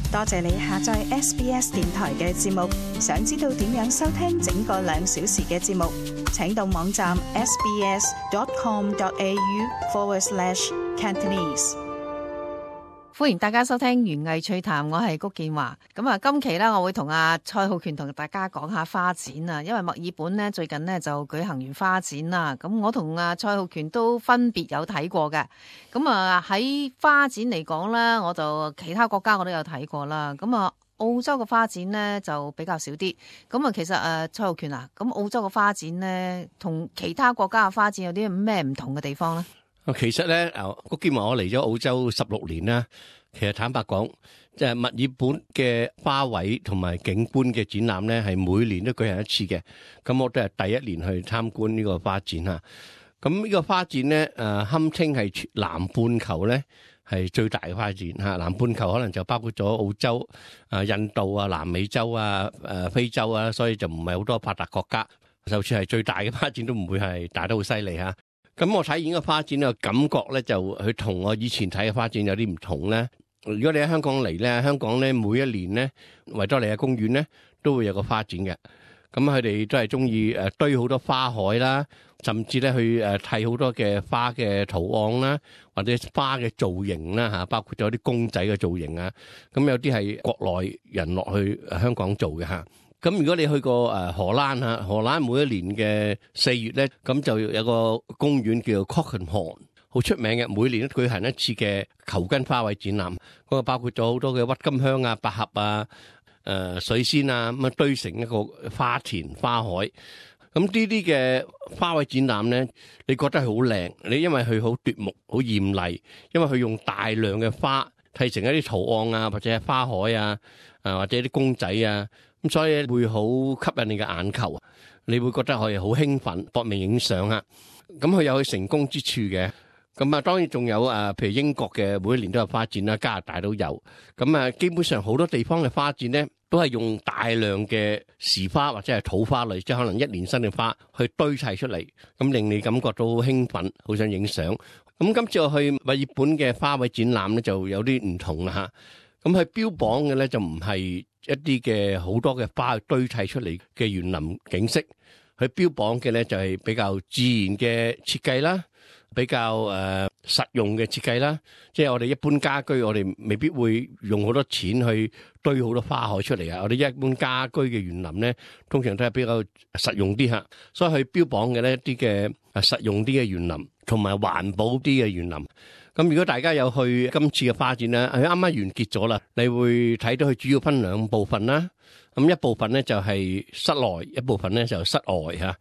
多謝你下載 SBS 電台嘅節目。想知道點樣收聽整個2小時嘅節目，請到網站 sbs.com.au/Cantonese。歡迎大家收聽園藝趣談，我係谷建華。咁啊，今期呢，我會同阿蔡浩權同大家講下花展啊。因為墨爾本呢，最近呢就舉行完花展啦。咁我同阿蔡浩權都分別有睇過嘅。咁啊喺花展嚟講呢，我就其他國家我都有睇過啦。咁啊澳洲嘅花展呢就比較少啲。咁啊其實蔡浩權啊，咁澳洲嘅花展呢同其他國家嘅花展有啲咩唔同嘅地方呢？其實咧，谷建華我嚟咗澳洲16年啦。其實坦白講，即係墨爾本嘅花卉同埋景觀嘅展覽咧，係每年都舉行一次嘅。咁我都係第一年去參觀呢個花展嚇。咁呢個花展咧，堪稱係南半球咧係最大嘅花展嚇。南半球可能就包括咗澳洲、印度啊、南美洲啊、非洲啊，所以就唔係好多發達國家。就算係最大嘅花展，都唔會係大得好犀利嚇。咁我睇完個花展嘅感覺咧，就佢同我以前睇嘅花展有啲唔同咧。如果你喺香港嚟咧，香港咧每一年咧維多利亞公園咧都會有個花展嘅。咁佢哋都係中意堆好多花海啦，甚至咧去砌好多嘅花嘅圖案啦，或者花嘅造型啦嚇，包括咗啲公仔嘅造型啊。咁有啲係國內人落去香港做嘅嚇。咁如果你去過荷蘭嚇，荷蘭每一年嘅4月咧，咁就有個公園叫做 Keukenhof， 好出名嘅，每年都舉行一次嘅球根花卉展覽。嗰個包括咗好多嘅鬱金香啊、百合啊、水仙啊，咁啊堆成一個花田花海。咁呢啲嘅花卉展覽咧，你覺得係好靚，你因為佢好奪目、好豔麗，因為佢用大量嘅花砌成一啲圖案啊，或者係花海啊，或者啲公仔啊。咁所以會好吸引你嘅眼球啊！你會覺得可以好興奮，搏命影相啊！咁佢有佢成功之處嘅。咁啊，當然仲有譬如英國嘅每一年都有花展啦，加拿大都有。咁啊，基本上好多地方嘅花展咧，都係用大量嘅時花或者係土花類，即係可能一年新嘅花去堆砌出嚟，咁令你感覺到好興奮，好想影相。咁今次我去墨爾本嘅花卉展覽咧，就有啲唔同啦嚇。咁佢標榜嘅咧就唔係一啲嘅好多嘅花堆砌出嚟嘅園林景色，佢標榜嘅咧就係比較自然嘅設計啦，比較實用嘅設計啦。即係我哋一般家居，我哋未必會用好多錢去堆好多花海出嚟啊。我哋一般家居嘅園林咧，通常都係比較實用啲嚇，所以佢標榜嘅呢一啲嘅實用啲嘅園林，同埋環保啲嘅園林。咁如果大家有去今次嘅花展咧，佢啱啱完結咗啦，你會睇到佢主要分2部分啦。咁一部分咧就係室內，一部分咧就室外嚇。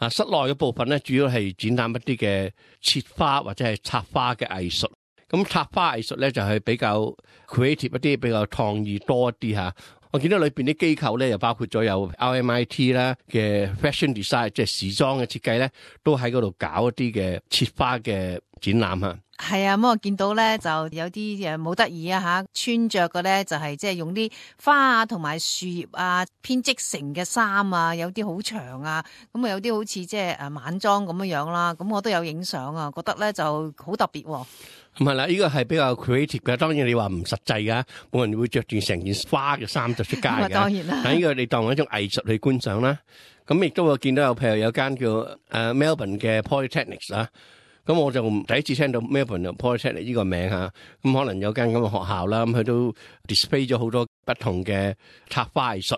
室內嘅部分咧主要係展覽一啲嘅切花或者係插花嘅藝術。咁插花藝術咧就係比較 creative 一啲，比較創意多一啲嚇。我見到裏邊啲機構咧，又包括咗有 RMIT 啦嘅 fashion design， 即係時裝嘅設計咧，都喺嗰度搞一啲嘅切花嘅展覽嚇。係啊，咁我見到咧就有啲嘢冇得意啊吓，穿着嘅咧就係即係用啲花啊同埋樹葉啊編織成嘅衫啊，有啲好長啊，咁啊有啲好似即係晚裝咁樣樣啦。咁我都有影相啊，覺得咧就好特別。唔係啦，呢個係比較 creative 嘅。當然你話唔實際噶，冇人會着住成件花嘅衫就出街嘅。當然啦，但呢個你當一種藝術去觀賞啦。咁亦都會見到有譬如有間叫Melbourne 嘅 Polytechnics 啊。咁我就第一次聽到 Melbourne Polytechnic 呢個名嚇，咁可能有間咁嘅學校啦，咁佢都 display 咗好多不同嘅插花藝術。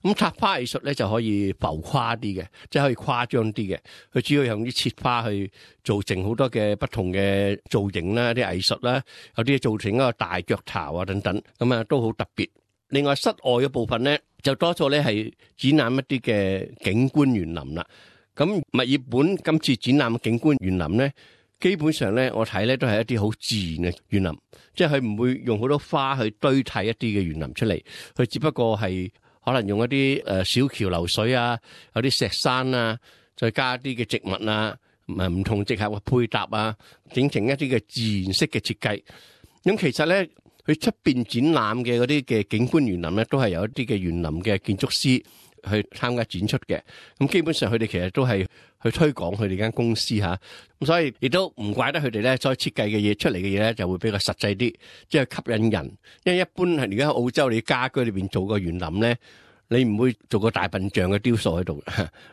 咁插花藝術咧就可以浮誇啲嘅，即係可以誇張啲嘅。佢主要用啲切花去做成好多嘅不同嘅造型啦，啲藝術啦，有啲做成一個大腳巢啊等等，咁啊都好特別。另外室外嘅部分咧，就多數咧係展覽一啲嘅景觀園林啦。咁墨爾本今次展覽嘅景觀園林咧，基本上咧我睇咧都係一啲好自然嘅園林，即係佢唔會用好多花去堆砌一啲嘅園林出嚟，佢只不過係可能用一啲小橋流水啊，有啲石山啊，再加一啲嘅植物啊，唔同植物嘅配搭啊，整成一啲嘅自然式嘅設計。咁其實咧，佢出邊展覽嘅嗰啲嘅景觀園林咧，都係有一啲嘅園林嘅建築師去參加展出嘅。咁基本上佢哋其實都係去推廣佢哋間公司嚇。咁所以亦都唔怪得佢哋咧，再設計嘅嘢出嚟嘅嘢咧就會比較實際啲，即係吸引人。因為一般係而家喺澳洲你家居裏邊做個園林咧，你唔會做個大笨象嘅雕塑喺度，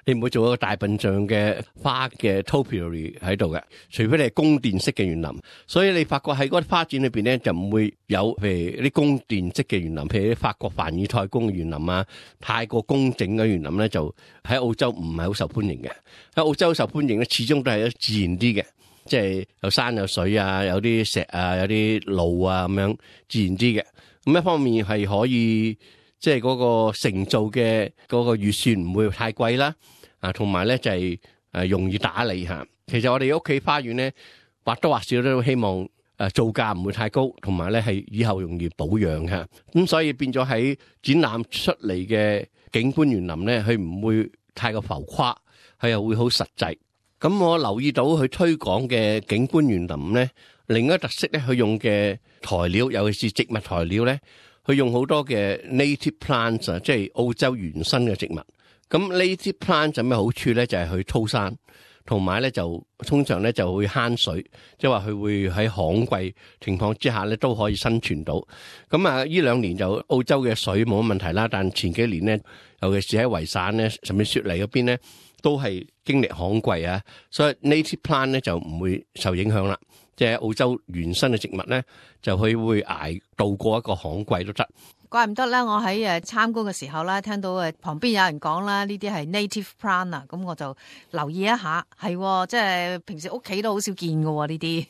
你唔會做個大笨象嘅花嘅 topiary 喺度嘅，除非你係宮殿式嘅園林。所以你發覺喺嗰啲花展裏邊咧，就唔會有譬如啲宮殿式嘅園林，譬如啲法國凡爾賽宮嘅園林啊，太過工整嘅園林咧，就喺澳洲唔係好受歡迎嘅。喺澳洲受歡迎咧，始終都係自然啲嘅，即係有山有水啊，有啲石啊，有啲路啊咁樣自然啲嘅。咁一方面係可以。即係嗰個成造嘅嗰個預算唔會太貴啦，同埋咧就係容易打理嚇。其實我哋屋企花園咧或多或少都希望造價唔會太高，同埋咧係以後容易保養嚇。咁所以變咗喺展覽出嚟嘅景觀園林咧，佢唔會太過浮誇，佢又會好實際。咁我留意到佢推廣嘅景觀園林咧，另一個特色咧，佢用嘅材料，尤其是植物材料咧。佢用好多嘅 native plants 啊，即係澳洲原生嘅植物。咁 native plants 有咩好處咧？就係佢粗生，同埋咧就通常咧就會慳水，即係話佢會喺旱季情況之下咧都可以生存到。咁啊，呢兩年就澳洲嘅水冇乜問題啦，但前幾年咧，尤其是喺維省咧，甚至雪梨嗰邊咧，都係經歷旱季啊，所以 native plant 咧就唔會受影響啦。即係澳洲原生嘅植物咧，就佢會度過一個旱季都得。怪唔得咧，我喺參觀嘅時候咧，聽到旁邊有人講啦，呢啲係 native plant 啊，咁我就留意一下，係即係平時屋企都好少見嘅呢啲。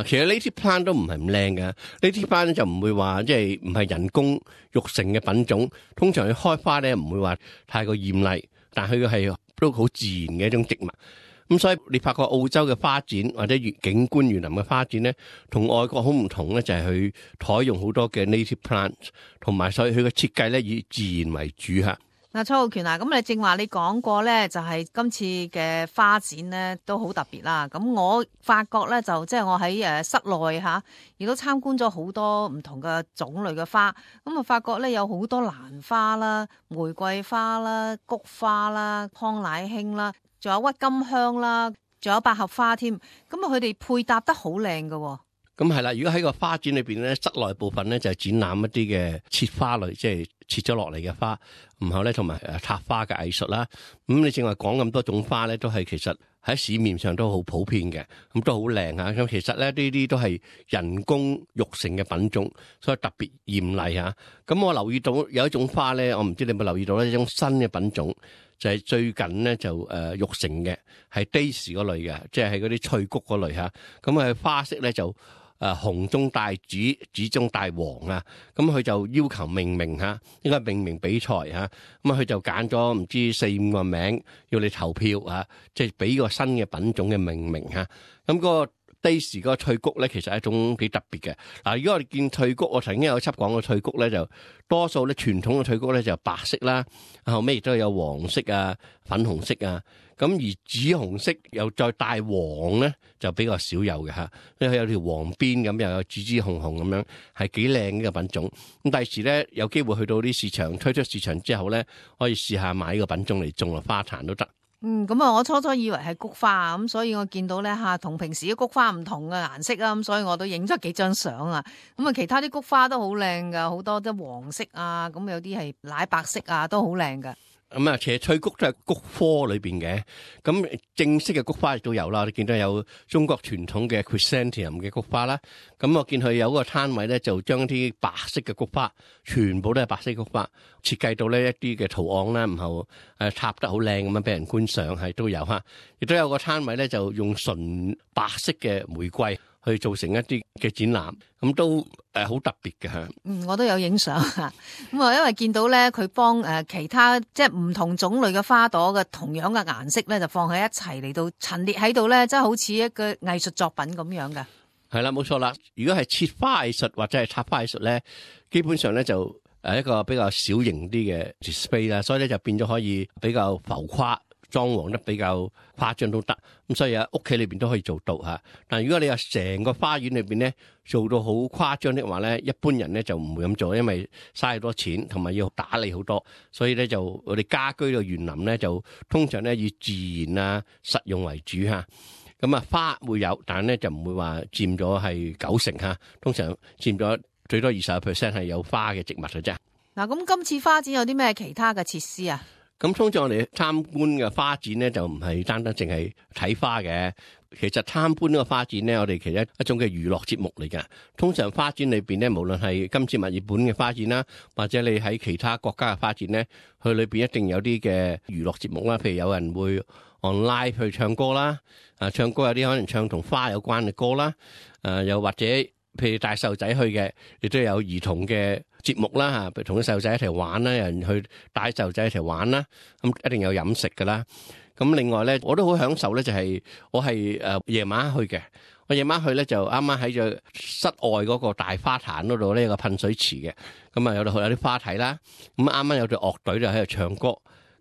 其實 native plant 都唔係咁靚嘅，native plant 咧就唔會話即係唔係人工育成嘅品種，通常佢開花咧唔會話太過豔麗，但係佢係都好自然嘅一種植物。咁所以你發覺澳洲嘅花展或者景觀園林嘅花展咧，同外國好唔同咧，就係佢採用好多嘅 native plants， 同埋所以佢嘅設計咧以自然為主嚇。嗱，蔡浩權啊，咁你正話你講過咧，就係今次嘅花展咧都好特別啦。咁我發覺咧就即係我喺室內嚇，亦都參觀咗好多唔同嘅種類嘅花。咁啊，發覺咧有好多蘭花啦、玫瑰花啦、菊花啦、康乃馨啦。仲有鬱金香啦，仲有百合花添，咁啊佢哋配搭得好靚㗎。咁係啦，如果喺個花展裏邊咧，室內部分咧就係展覽一啲嘅切花類，即係切咗落嚟嘅花，然後咧同埋插花嘅藝術啦。咁你正話講咁多種花咧，都係其實喺市面上都好普遍嘅，咁都好靚吓。咁其實咧呢啲都係人工育成嘅品種，所以特別豔麗吓。咁我留意到有一種花咧，我唔知你有冇留意到呢一種新嘅品種。就係最近咧就育成嘅係 Daisy 嗰類嘅，即係嗰啲翠菊嗰類嚇。咁啊花色咧就紅中帶紫，紫中帶黃啊。咁佢就要求命名嚇，應該命名比賽嚇。咁啊佢就揀咗唔知4-5個名要你投票嚇，即係俾個新嘅品種嘅命名嚇。咁嗰個 Daisy 嗰個翠菊咧，其實係一種幾特別嘅。嗱，如果我哋見翠菊，我曾經有輯講過翠菊咧，就多數咧傳統嘅翠菊咧就白色啦，後尾亦都有黃色啊、粉紅色啊。咁而紫紅色又再帶黃咧，就比較少有嘅嚇。因為佢有條黃邊咁，又有紫紫紅紅咁樣，係幾靚嘅品種。咁第時咧有機會去到啲市場推出市場之後咧，可以試下買呢個品種嚟種落花壇都得。咁啊，我初初以為係菊花，咁所以我見到咧同平時啲菊花唔同嘅顏色啊，咁所以我都影咗幾張相啊。咁啊，其他啲菊花都好靚噶，好多啲黃色啊，咁有啲係奶白色啊，都好靚噶。咁啊，其實翠菊都係菊科裏邊嘅，咁正式嘅菊花亦都有啦。你見到有中國傳統嘅 Chrysanthemum 嘅菊花啦，咁我見佢有個攤位咧，就將啲白色嘅菊花，全部都係白色菊花，設計到呢一啲嘅圖案啦，然後插得好靚咁樣俾人觀賞，係都有嚇。亦都有個攤位咧，就用純白色嘅玫瑰去做成一啲嘅展覽，咁都好特別嘅嚇。我都有影相嚇。咁啊，因為見到咧，佢幫其他即係唔同種類嘅花朵嘅同樣嘅顏色咧，就放喺一齊嚟到陳列喺度咧，真係好似一個藝術作品咁樣嘅。係啦，冇錯啦。如果係切花藝術或者係插花藝術咧，基本上咧就一個比較小型啲嘅 display 啦，所以咧就變咗可以比較浮誇。裝潢得比較誇張都得，咁所以喺屋企裏邊都可以做到嚇。但係如果你話成個花園裏邊咧做到好誇張的話咧，一般人咧就唔會咁做，因為嘥好多錢同埋要打理好多，所以咧就我哋家居嘅園林咧就通常咧以自然啊實用為主嚇。咁啊花會有，但係咧就唔會話佔咗係90%嚇，通常佔咗最多20% 係有花嘅植物嘅啫。嗱，咁今次花展有啲咩其他嘅設施啊？咁通常我哋參觀嘅花展咧，就唔係單單淨係睇花嘅。其實參觀呢個花展咧，我哋其實一種嘅娛樂節目嚟㗎。通常花展裏邊咧，無論係今次墨爾本嘅花展啦，或者你喺其他國家嘅花展咧，佢裏邊一定有啲嘅娛樂節目啦。譬如有人會 online 去唱歌啦，唱歌有啲可能唱同花有關嘅歌啦，又或者譬如帶細路仔去嘅，亦都有兒童嘅節目啦嚇，譬如同啲細路仔一齊玩啦，有人去帶細路仔一齊玩啦，咁一定有飲食噶啦。咁另外咧，我都好享受咧，就係我係夜晚去嘅。我夜晚去咧就啱啱喺咗室外嗰個大花壇嗰度咧，有個噴水池嘅，咁啊有啲花睇啦。咁啱啱有隊樂隊就喺度唱歌，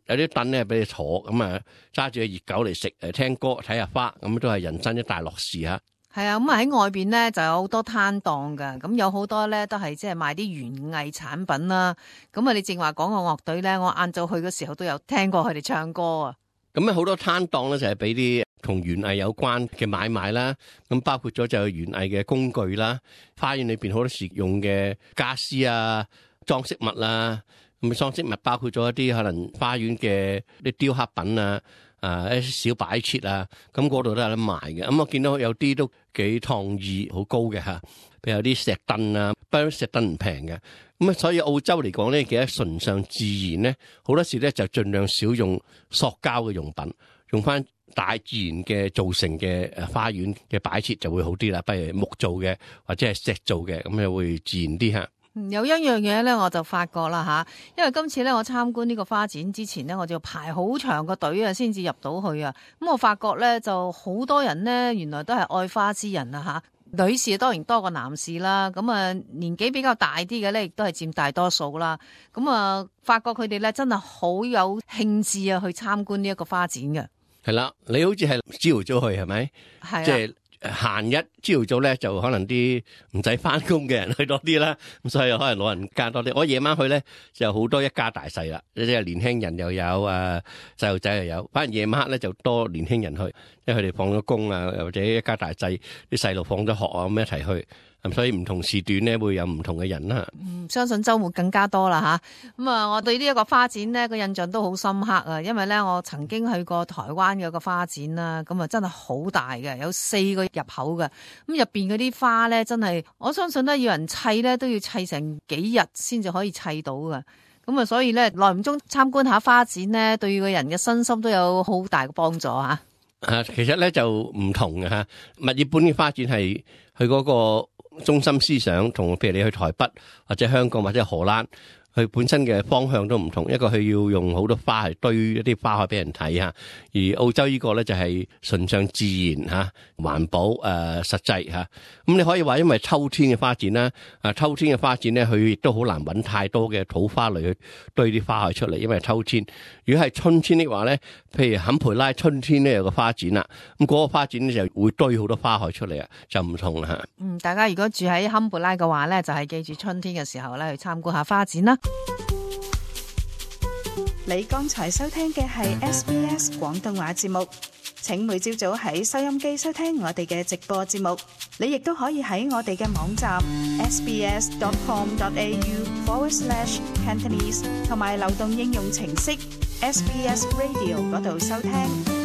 有啲凳咧俾你坐，咁啊揸住個熱狗嚟食聽歌睇下花，咁都係人生一大樂事嚇。係啊，咁啊喺外邊咧就有好多攤檔噶，咁有好多咧都係即係賣啲園藝產品啦。咁啊，你正話講個樂隊咧，我晏晝去嘅時候都有聽過佢哋唱歌啊。咁啊好多攤檔咧就係俾啲同園藝有關嘅買賣啦。咁包括咗就係園藝嘅工具啦，花園裏邊好多時用嘅家私啊、裝飾物啦。咁裝飾物包括咗一啲可能花園嘅啲雕刻品啊。一啲小擺設啊，咁嗰度都有得賣嘅。咁我見到有啲都幾創意，好高嘅嚇，譬如有啲石凳啊，不過石凳唔平嘅。咁啊，所以澳洲嚟講咧，其實崇尚自然咧，好多時咧就盡量少用塑膠嘅用品，用翻大自然嘅造成嘅花園嘅擺設就會好啲啦。不如木做嘅或者係石做嘅，咁就會自然啲嚇。有一樣嘢咧，我就發覺啦吓，因為今次咧我參觀呢個花展之前咧，我就排好長個隊啊，先至入到去啊。咁我發覺咧就好多人咧，原來都係愛花之人啊吓。女士當然多過男士啦，咁啊年紀比較大啲嘅咧，亦都係佔大多數啦。咁啊，發覺佢哋咧真係好有興致啊，去參觀呢一個花展嘅。係啦，你好似係朝早去係咪？係，即係。閒日朝早咧就可能啲唔使翻工嘅人去多啲啦，咁所以可能老人家多啲。我夜晚去咧就好多一家大細啦，即係年輕人又有細路仔又有。反而夜晚黑咧就多年輕人去，因為佢哋放咗工啊，或者一家大細啲細路放咗學啊，咁一齊去。咁所以唔同時段咧會有唔同嘅人啦。相信週末更加多啦吓。咁啊，我對呢一個花展咧個印象都好深刻啊，因為咧我曾經去過台灣嘅一個花展啦，咁啊真係好大嘅，有4個入口嘅。咁入邊嗰啲花咧真係，我相信咧要人砌咧都要砌成幾日先至可以砌到嘅。咁啊，所以咧耐唔中參觀下花展咧，對個人嘅身心都有好大嘅幫助吓。其實咧就唔同嘅吓，墨爾本嘅花展係佢嗰個中心思想同譬如你去台北或者香港或者荷蘭，佢本身嘅方向都唔同。一個佢要用好多花去堆一啲花海俾人睇吓，而澳洲呢個咧就係崇尚自然吓、環保實際吓。咁你可以話因為秋天嘅花展啦，秋天嘅花展咧，佢亦都好難揾太多嘅土花類去堆啲花海出嚟，因為秋天。如果係春天的話咧，譬如坎培拉春天咧有個花展啦，咁嗰個花展咧就會堆好多花海出嚟啊，就唔同啦吓。大家如果住喺坎培拉嘅話咧，就係記住春天嘅時候咧去參觀下花展啦。你剛才收聽嘅係 SBS 廣東話節目，請每朝早喺收音機收聽我哋嘅直播節目。你亦都可以喺我哋嘅網站 sbs.com.au/Cantonese 同埋流動應用程式 SBS Radio 嗰度收聽。